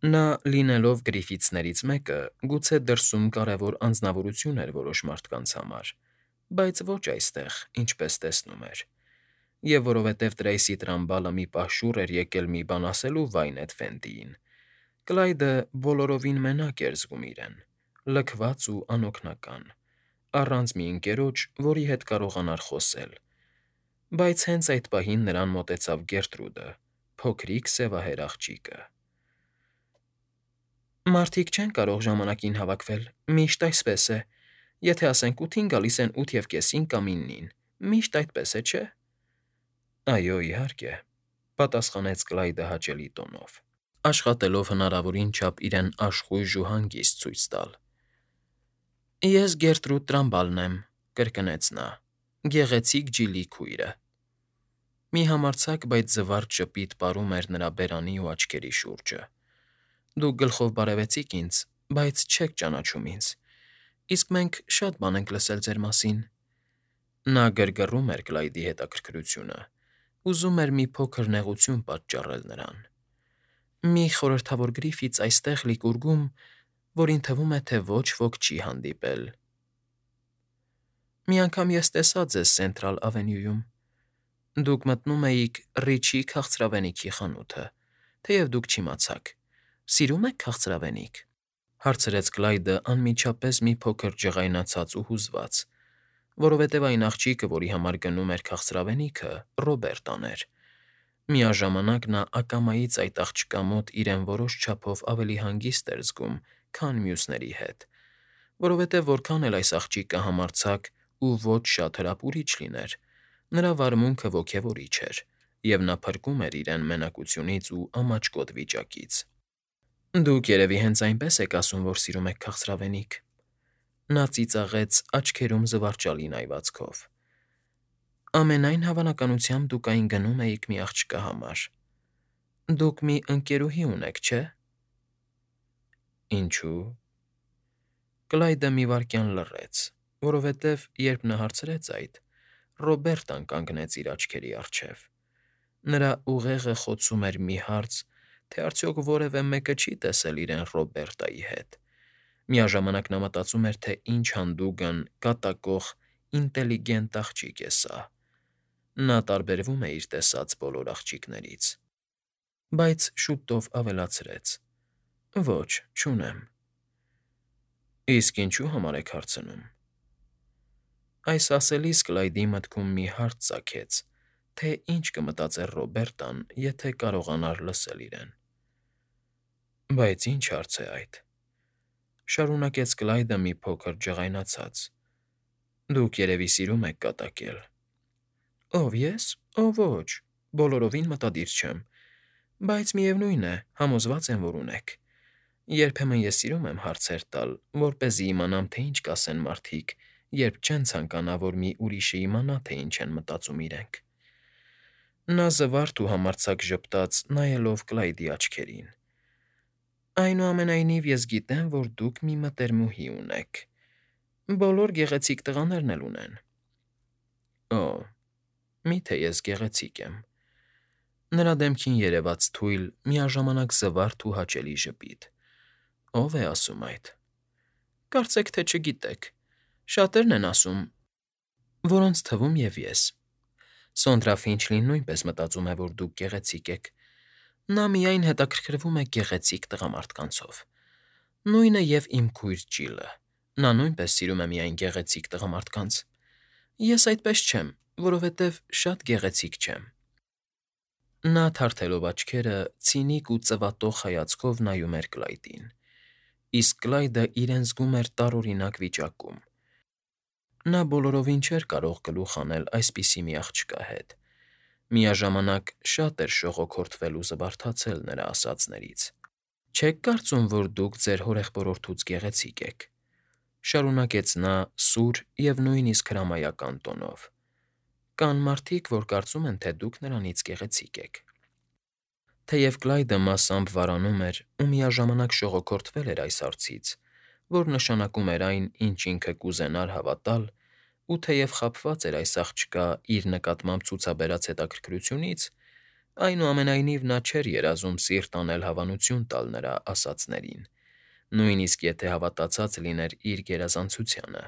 Նա, լինելով գրիֆիցներից մեկը, գուցե դրսում կարևոր անձնավորություն էր որոշ մարդկանց համար, բայց ոչ այստեղ, ինչպես տեսնում էր։ Եվ որովհետև Տրեյսի Տրամբալը մի պահ շուռ էր եկել մի բան ասելու Վայնետ Ֆենտիին, Կլայդը բոլորովին մենակ էր զգում իրեն, լքված ու անօգնական, առանց մի ընկերոջ, որի հետ կարողանար խոսել։ Բայց հենց այդ պահին նրան մոտեցավ Գերտրուդը, փոքրիկ սևահեր աղջիկը։ Մարդիկ չեն կարող ժամանակին հավաքվել, միշտ այսպես է։ Եթե ասենք 8-ին գալիս են 8:30 կամ 9-ին, միշտ այդպես է, չէ՞։ Այո, իհարկե, պատասխանեց Կլայդը հաճելի տոնով, աշխատելով հնարավորին չափ իրեն աշխույժ ու հանգիստ ցույց տալ։ Ես Գերտրուդ Տրամբալն եմ, կրկնեց նա, գեղեցիկ Ջիլի քույրը։ Մի համարձակ, բայց զվարճ ժպիտ պարում էր նրա բերանի ու աչքերի շուրջը։ Դուք գլխով բարևեցիք ինձ, բայց չեք ճանաչում ինձ, իսկ մենք շատ բան ենք լսել ձեր մասին։ Նա գրգռում էր Կլայդի հետաքրքրությունը, ուզում էր մի փոքր նեղություն պատճառել նրան։ Մի խորհրդավոր գրիֆից այստեղ Լիկուրգում, որին թվում է, թե ոչ ոք չի հանդիպել։ Մի անգամ ես տեսա ձեզ Սենտրալ Ավենյուում։ Դուք մտնում էիք Ռիչի քաղցրավենիքի խանութը, թեև դուք չիմացաք։ Սիրում եք քաղցրավենիք, հարցրեց Կլայդը անմիջապես մի փոքր ջղայնացած ու հուզված, որովհետև այն աղջիկը, որի համար գնում էր քաղցրավենիքը, Ռոբերտան էր։ Միաժամանակ նա ակամայից այդ աղջկա մոտ իրեն որոշ չափով ավելի հանգիստ էր զգում, քան մյուսների հետ, որովհետև որքան էլ այս աղջիկը համարձակ ու ոչ շատ հրապուրիչ լիներ, նրա վարմունքը ոգևորիչ էր, և նա փրկում էր իրեն մենակությունից ու ամաչկոտ վիճակից։ Դուք երևի հենց այնպես եք ասում, որ սիրում եք քաղցրավենիք։ Նա ծիծաղեց աչքերում զվարճալի նայվածքով։ Ամենայն հավանականությամբ դուք այն գնում էիք մի աղջկա համար։ Դուք մի ընկերուհի ունեք, չէ՞։ Ինչու՞։ Կլայդը մի վայրկյան լռեց, որովհետև, երբ նա հարցրեց այդ, Ռոբերտան կանգնեց իր աչքերի առջև։ Նրա ուղեղը խոցում էր մի հարց, թե արդյոք որևէ մեկը չի տեսել իրեն Ռոբերտայի հետ։ Միաժամանակ նա մտածում էր, թե ինչ հանդուգն, կատակող, ինտելիգենտ աղջիկ է սա։ Նա տարբերվում է իր տեսած բոլոր աղջիկներից։ Բայց շուտով ավելացրեց. Ոչ, չունեմ։ Իսկ ինչու համար եք հարցնում։ Այս ասելիս Կլայդի մտքում մի հարց ծագեց, թե ինչ կմտածեր Ռոբերտան, եթե կարողանար լսել իրեն։ Բայց ինչ հարց է այդ, շարունակեց Կլայդը մի փոքր ջղայնացած։ Դուք երևի սիրում եք կատակել։ Ով ես։ Ով ոչ, բոլորովին մտադիր չեմ, բայց միևնույն է, համոզված եմ, որ ունեք։ Երբեմն ես սիրում եմ հարցեր տալ, որպեսզի իմանամ, թե ինչ կասեն մարդիկ, երբ չեն ցանկանա, որ մի ուրիշը իմանա, թե ինչ են մտածում իրենք։ Նա զվարթ ու համարձակ ժպտաց, նայելով Կլայդի աչքերին։ Այնուամենայնիվ ես գիտեմ, որ դուք մի մտերմուհի ունեք։ Բոլոր գեղեցիկ տղաներն էլ ունեն։ Օ, միթե ես գեղեցիկ եմ։ Նրա դեմքին երևաց թույլ, միաժամանակ զվարթ ու հաճելի ժպիտ։ Ո՞վ է ասում այդ։ Կարծեք թե չգիտեք։ Շատերն են ասում, որոնց թվում և ես։ Սոնդրա Ֆինչլին նույնպես մտածում է, որ դուք գեղեցիկ եք։ Նա միայն հետաքրքրվում է գեղեցիկ տղամարդկանցով։ Նույնը և իմ քույր Ջիլը։ Նա նույնպես սիրում է միայն գեղեցիկ տղամարդկանց։ Ես այդպես չեմ, որովհետև շատ գեղեցիկ չեմ։ Նա թարթելով աչքերը, ցինիկ ու ծվատող հայացքով նայում էր Կլայդին, իսկ Կլայդը իրեն զգում էր տարօրինակ վիճակում։ Նա բոլորովին չէր կարող գլուխ հանել այսպիսի մի աղջկա հետ։ Միաժամանակ շատ էր շողոքորթվել ու զվարթացել նրա ասածներից։ Չեք կարծում, որ դուք ձեր հորեղբորորդուց գեղեցիկ եք, շարունակեց նա սուր և նույնիսկ հրամայական տոնով։ Կան մարդիկ, որ կարծում են, թե դուք նրանից գեղեցիկ եք։ Թեև Կլայդը մասամբ վարանում էր ու միաժամանակ շողոքորթվել էր այս հարցից, որ նշանակում էր այն, ինչ ինքը կուզենար հավատալ, ու թեև խաբված էր այս աղջկա իր նկատմամբ ցուցաբերած հետաքրքրությունից, Այնուամենայնիվ նա չէր երազում սիրտ անել հավանություն տալ նրա ասածներին, նույնիսկ եթե հավատացած լիներ իր գերազանցությանը։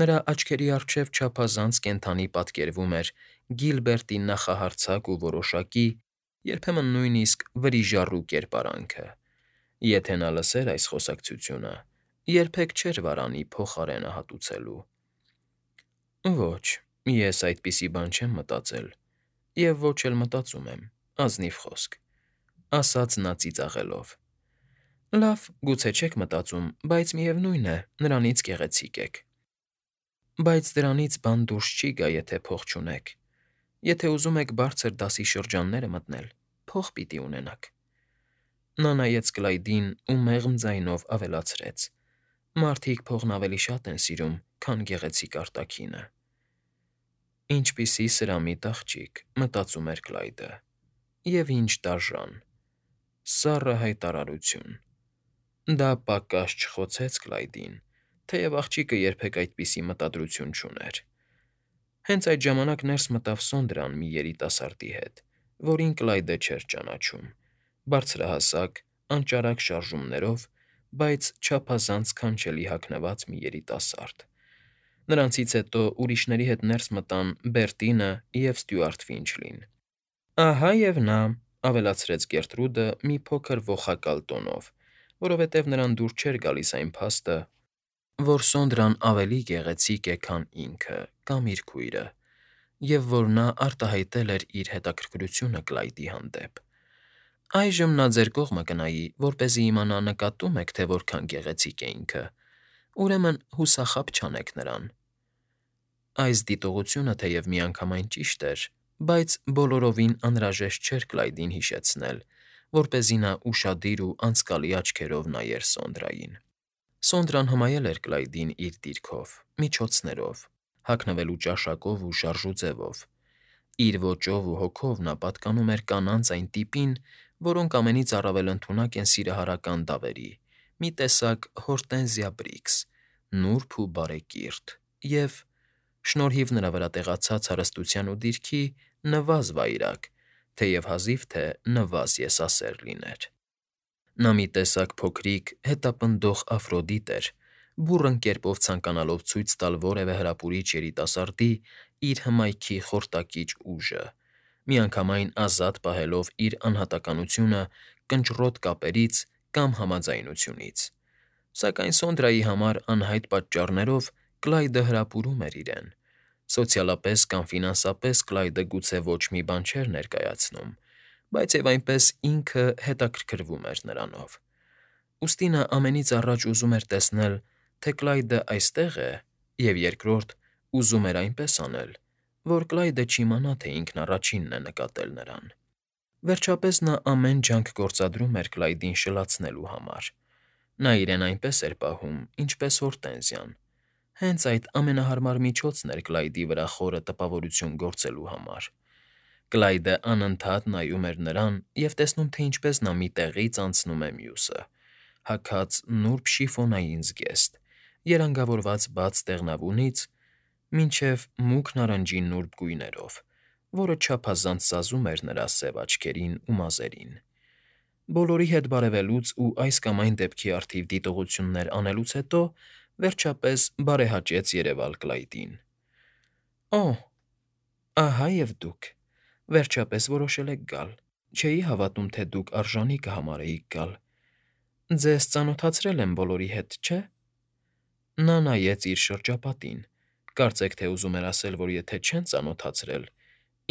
Նրա աչքերի առջև չափազանց կենդանի պատկերվում էր Գիլբերտի նախահարձակ ու որոշակի, երբեմն նույնիսկ վրիժառու կերպարանքը։ Եթե նա լսեր այս խոսակցությունը, երբեք չէր վարանի փոխարենը հատուցելու։ Ոչ, ես այդպիսի բան չեմ մտածել, և ոչ էլ մտածում եմ, ազնիվ խոսք, ասաց նա ծիծաղելով։ Լավ, գուցե չեք մտածում, բայց միևնույն է, նրանից գեղեցիկ եք։ Բայց դրանից բան դուրս չի գա, եթե փող չունեք։ Եթե ուզում եք բարձր դասի շրջանները մտնել, փող պիտի ունենաք։ Նա նայեց Կլայդին ու մեղմ ձայնով ավելացրեց. Մարդիկ փողն ավելի շատ են սիրում, քան գեղեցիկ արտաքինը։ Ինչպիսի սրամիտ աղջիկ, մտածում էր Կլայդը, և ինչ դաժան, սառը հայտարարություն։ Դա պակաս չխոցեց Կլայդին, թեև աղջիկը երբեք այդպիսի մտադրություն չուներ։ Հենց այդ ժամանակ ներս մտավ Սոնդրան մի երիտասարդի հետ, որին Կլայդը չէր ճանաչում, բարձրահասակ, անճարակ շարժումներով, բայց չափազանց քանչելի հագնված մի երիտասարդ։ Նրանցից հետո ուրիշների հետ ներս մտան Բերտինը և Ստյուարտ Ֆինչլին։ Ահա և նա, ավելացրեց Գերտրուդը մի փոքր ոխակալ տոնով, որովհետև նրան դուր չէր գալիս այն փաստը, որ Սոնդրան ավելի գեղեցիկ է, քան ինքը կամ իր քույրը, և որ նա արտահայտել էր իր հետաքրքրությունը Կլայդի հանդեպ։ Այժմ նա ձեր կողմը կնայի, որպեսզի իմանա նկատո՞ւմ եք, թե որքան գեղեցիկ է ինքը, ուրեմն հուսախաբ չանեք նրան։ Այս դիտողությունը թեև միանգամայն ճիշտ էր, բայց բոլորովին անհրաժեշտ չէր Կլայդին հիշեցնել, որպեսզի նա ուշադիր ու անցկալի աչքերով նայեր Սոնդրային։ Սոնդրան հմայել էր Կլայդին իր դիրքով, միջոցներով, հագնվելու ճաշակով ու շարժուձևով։ Իր ոճով ու հոգով նա պատկանում էր կանանց այն տիպին, որոնք ամենից առավել ընդունակ են սիրահարական դավերի, մի տեսակ Հորտենզիա Բրիքս, նուրբ ու բարեկիրթ, և, շնորհիվ նրա վրա տեղացած հարստության ու դիրքի, նվազ վայրագ, թեև հազիվ թե նվազ եսասեր լիներ։ Նա մի տեսակ փոքրիկ, հետապնդող Աֆրոդիտ էր, բուռն կերպով ցանկանալով ցույց տալ որևէ հրապուրիչ երիտասարդի իր հմայքի խորտակիչ ուժը, միանգամայն ազատ պահելով իր անհատականությունը կնճռոտ կապերից կամ համաձայնությունից։ Սակայն Սոնդրայի համար անհայտ պատճառներով Կլայդը հրապուրում էր իրեն։ Սոցիալապես կամ ֆինանսապես Կլայդը գուցե ոչ մի բան չէր ներկայացնում, բայց և այնպես ինքը հետաքրքրվում էր նրանով։ Ուստի նա ամենից առաջ ուզում էր տեսնել, թե Կլայդը այստե՞ղ է, և երկրորդ, ուզում էր այնպես անել, որ Կլայդը չիմանա, թե ինքն առաջինն է նկատել նրան։ Վերջապես նա ամեն ջանք գործադրում էր Կլայդին շլացնելու համար։ Նա իրեն այնպես էր պահում, ինչպես Հորտենզիան։ Հենց այդ ամենահարմար միջոցն էր Կլայդի վրա խորը տպավորություն գործելու համար։ Կլայդը անընդհատ նայում էր նրան և տեսնում, թե ինչպես նա մի տեղից անցնում է մյուսը, հագած նուրբ շիֆոնային զգեստ, երանգավորված բաց տեղնավունից մինչև մուգ նարնջի նուրբ գույներով, որը չափազանց սազում էր նրա սև աչքերին ու մազերին։ Բոլորի հետ բարևելուց ու այս կամ այն դեպքի առթիվ դիտողություններ անելուց հետո, վերջապես բարեհաճեց երևալ Կլայդին։ Օ՜, ահա և դուք, վերջապես որոշել եք գալ։ Չէի հավատում, թե դուք արժանի կհամարեիք գալ։ Ձեզ ծանոթացրել եմ բոլորի հետ, չէ՞։ Նա նայեց իր շրջապատին, կարծեք թե ուզում էր ասել, որ եթե չեն ծանոթացրել,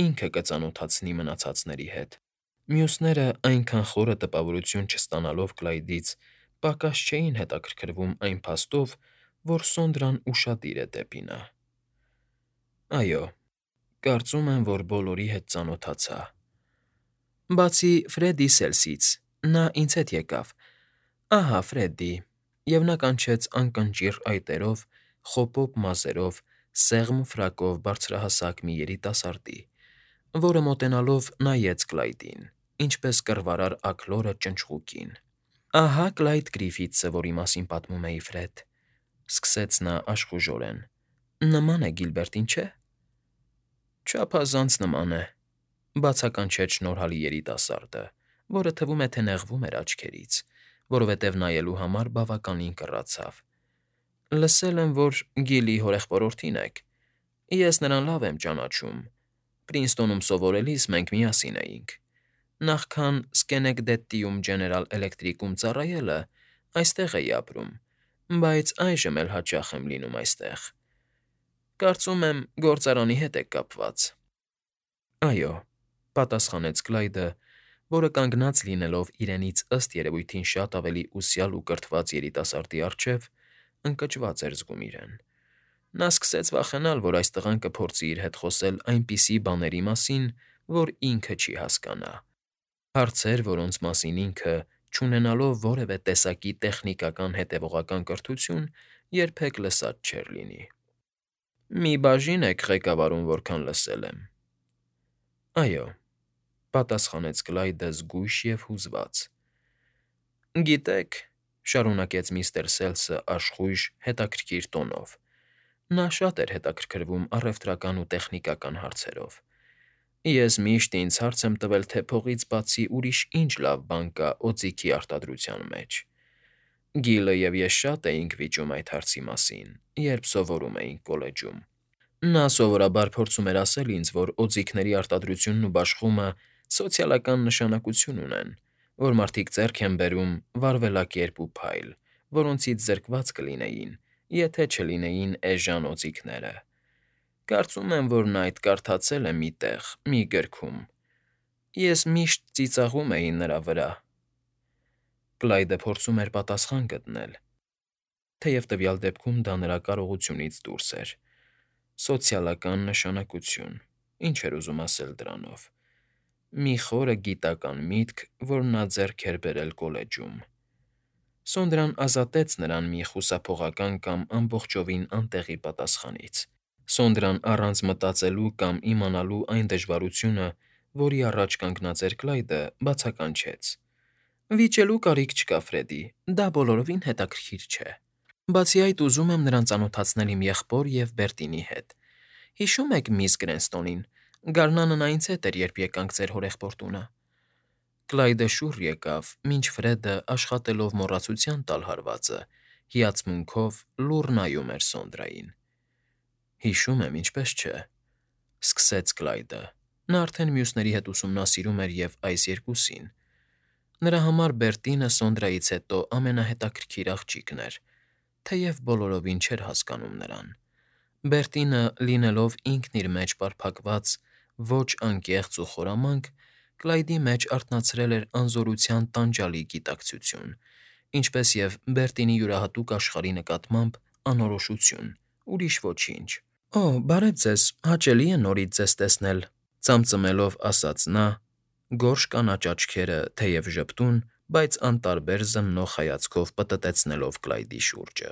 ինքը կծանոթացնի մնացածների հետ։ Մյուսները, այնքան խորը տպավորություն չստանալով Կլայդից, պակաս չէին հետաքրքրվում այն փաստով, որ Սոնդրան ուշադիր է դեպի նա։ Այո, կարծում եմ, որ բոլորի հետ ծանոթացա։ Բացի Ֆրեդի Սելսից, նա ինձ հետ եկավ։ Ահա Ֆրեդի, և նա կանչեց անկնճիռ այտերով, խոպոպ մազերով, սեղմ ֆրակով բարձրահասակ մի երիտասարդի, որը մոտենալով նայեց Կլայդին, ինչպես կռվարար աքլորը ճնճղուկին։ Ահա Կլայդ Գրիֆիթսը, որի մասին պատմում էի, Ֆրեդ, սկսեց նա աշխուժորեն, նման է Գիլբերտին, չէ՞։ Չափազանց նման է։ Բացականչեց շնորհալի երիտասարդը, որը թվում է, թե նեղվում էր աչքերից, որովհետև նայելու համար բավականին կռացավ։ Լսել եմ, որ Գիլի հորեղբորորդին եք։ Ես նրան լավ եմ ճանաչում։ Պրինստոնում սովորելիս մենք միասին էինք։ Նախքան Սկենեկդեթիում Ջեներալ Էլեկտրիկում ծառայելը այստեղ էի ապրում, բայց այժմ էլ հաճախ եմ լինում այստեղ։ Կարծում եմ, գործարանի հետ եք կապված։ Այո, պատասխանեց Կլայդը, որը կանգնած լինելով իրենից ըստ երևույթին շատ ավելի ուսյալ ու կրթված երիտասարդի առջև, ընկճված էր զգում իրեն։ Նա սկսեց վախենալ, որ այս տղան կփորձի իր հետ խոսել այնպիսի բաների մասին, որ ինքը չի հասկանա։ Հարցեր, որոնց մասին ինքը, չունենալով որևէ տեսակի տեխնիկական հետևողական կրթություն, երբեք լսած չէր լինի։ Մի բաժին եք ղեկավարում, որքան լսել եմ։ Այո, պատասխանեց Կլայդը զգույշ և հուզված։ Գիտեք, շարունակեց միստր Սելսը աշխույժ, հետաքրքիր տոնով. նա շատ էր հետաքրքրվում առևտրական ու տեխնիկական հարցերով։ Ես միշտ ինձ հարց եմ տվել, թե փողից բացի ուրիշ ինչ լավ բան կա օձիքի արտադրության մեջ։ Գիլը և ես շատ էինք վիճում այդ հարցի մասին, երբ սովորում էինք կոլեջում։ Նա սովորաբար փորձում էր ասել ինձ, որ օձիքների արտադրությունն ու բաշխումը սոցիալական նշանակություն ունեն, որ մարդիկ ձեռք են բերում վարվելակերպ ու փայլ, որոնցից զրկված կլինեին, եթե չլինեին էժան օձիքները։ Կարծում եմ, որ նա այդ կարդացել է մի տեղ, մի գրքում։ Ես միշտ ծիծաղում էի նրա վրա։ Կլայդը փորձում էր պատասխան գտնել, թեև տվյալ դեպքում դա նրա կարողությունից դուրս էր։ Սոցիալական նշանակություն, ինչ էր ուզում ասել դրանով։ Մի խորը գիտական միտք, որ նա ձեռք էր բերել կոլեջում։ Սոնդրան ազատեց նրան մի խուսափողական կամ ամբողջովին անտեղի պատասխանից։ Սոնդրան առանց մտածելու կամ իմանալու այն դժվարությունը, որի առաջ կանգնած էր Կլայդը, բացականչեց. Վիճելու կարիք չկա, Ֆրեդի, դա բոլորովին հետաքրքիր չէ։ Բացի այդ, ուզում եմ նրան ծանոթացնել իմ եղբոր և Բերտինի հետ։ Հիշո՞ւմ եք միս Գրենստոնին։ Գարնանն այնց հետ էր, երբ եկանք ձեր հորեղբոր տունը։ Կլայդը շուռ եկավ, մինչ Ֆրեդը, աշխատելով մոռացության տալ հարվածը, հիացմունքով լուռ նայում էր Սոնդրային։ Հիշում եմ, ինչպես չէ, սկսեց Կլայդը։ Նա արդեն մյուսների հետ ուսումնասիրում էր և այս երկուսին։ Նրա համար Բերտինը Սոնդրայից հետո ամենահետաքրքիր աղջիկն էր, թեև բոլորովին չէր հասկանում նրան։ Բերտինը, լինելով ինքն իր մեջ պարփակված, ոչ անկեղծ ու խորամանկ, Կլայդի մեջ արթնացրել էր անզորության տանջալի գիտակցություն, ինչպես և Բերտինի յուրահատուկ աշխարհի նկատմամբ անորոշություն, ուրիշ ոչինչ։ Օ, բարև ձեզ, հաճելի է նորից ձեզ տեսնել, ծամծմելով ասաց նա, գորշ կանաչ աչքերը թեև ժպտուն, բայց անտարբեր զննող հայացքով պտտեցնելով Կլայդի շուրջը։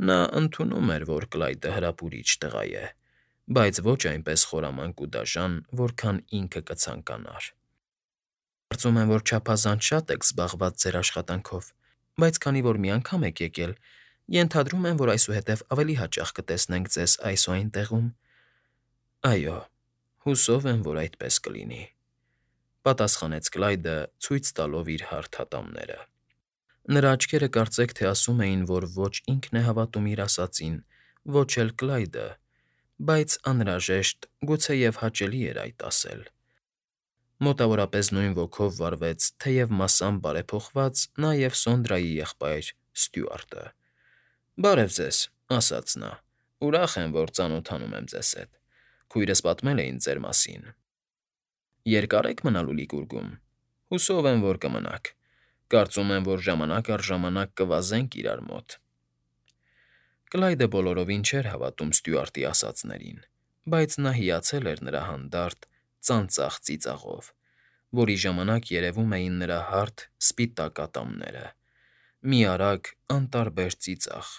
Նա ընդունում էր, որ Կլայդը հրապուրիչ տղա է, բայց ոչ այնպես խորամանկ ու դաժան, որքան ինքը կցանկանար։ Կարծում եմ, որ չափազանց շատ եք զբաղված ձեր աշխատանքով, բայց քանի որ մի անգամ եք եկել, ենթադրում եմ, որ այսուհետև ավելի հաճախ կտեսնենք ձեզ այս ու այն տեղում։ Այո, հուսով եմ, որ այդպես կլինի, պատասխանեց Կլայդը, ցույց տալով իր հարթ ատամները։ Նրա աչքերը կարծեք թե ասում էին, որ ոչ ինքն է հավատում իր ասածին, ոչ էլ Կլայդը, բայց անհրաժեշտ, գուցեև հաճելի էր այդ ասել։ Մոտավորապես նույն ոգով վարվեց, թեև մասամբ բարեփոխված, նաև Սոնդրայի եղբայր Ստյուարտը։ Բարև ձեզ, ասաց նա։ Ուրախ եմ, որ ծանոթանում եմ ձեզ հետ։ Քույրս պատմել է ինձ ձեր մասին։ Երկա՞ր եք մնալու Լիգուրգում։ Հուսով եմ, որ կմնաք։ Կարծում եմ, որ ժամանակ առ ժամանակ կվազենք իրար մոտ։ Կլայդը բոլորովին չէր հավատում Ստյուարտի ասածներին, բայց նա հիացել էր նրա հանդարտ, ծանծաղ ծիծաղով, որի ժամանակ երևում էին նրա հարթ, սպիտակ ատամները։ Մի արագ, անտարբեր ծիծաղ։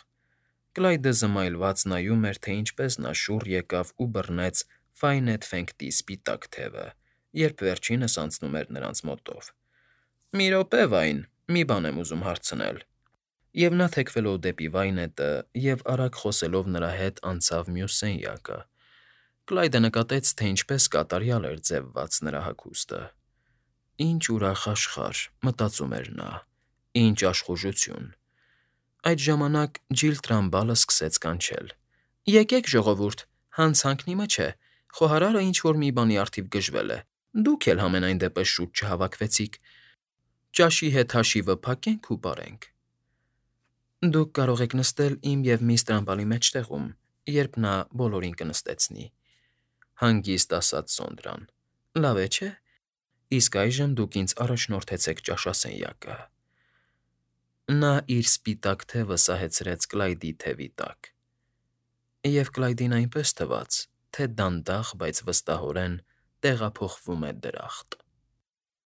Կլայդը զմայլված նայում էր, թե ինչպես նա շուռ եկավ ու բռնեց Ֆայնեթ֊Ֆենգտի սպիտակ թևը, երբ վերջինս անցնում էր նրանց մոտով։ Մի րոպե, Վայն, մի բան եմ ուզում հարցնել։ Եվ նա թեքվելով դեպի Վայնետը և արագ խոսելով նրա հետ անցավ մյուս սենյակը։ Կլայդը նկատեց, թե ինչպես կատարյալ էր ձևված նրա հագուստը։ Ինչ ուրախ աշխարհ, մտածում էր նա, ինչ աշխուժություն։ Այդ ժամանակ Ջիլ Տրամբալը սկսեց կանչել. «Եկեք, ժողովուրդ, հանցանքն իմը չէ, խոհարարը ինչ֊որ մի բանի առթիվ գժվել է, դուք էլ համենայն դեպս շուտ չհավաքվեցիք, ճաշի հետ հաշիվը փակենք ու պարենք»։ «Դուք կարող եք նստել իմ և միս Տրամբալի մեջտեղում, երբ նա բոլորին կնստեցնի,֊ հանգիստ ասաց Սոնդրան։֊ Լավ է, չէ՞։ Իսկ այժմ դուք ինձ առաջնորդեցեք ճաշասենյակը»։ Նա իր սպիտակ թևը սահեցրեց Կլայդի թևի տակ, և Կլայդին այնպես թվաց, թե դանդաղ, բայց վստահորեն տեղափոխվում է դրախտ։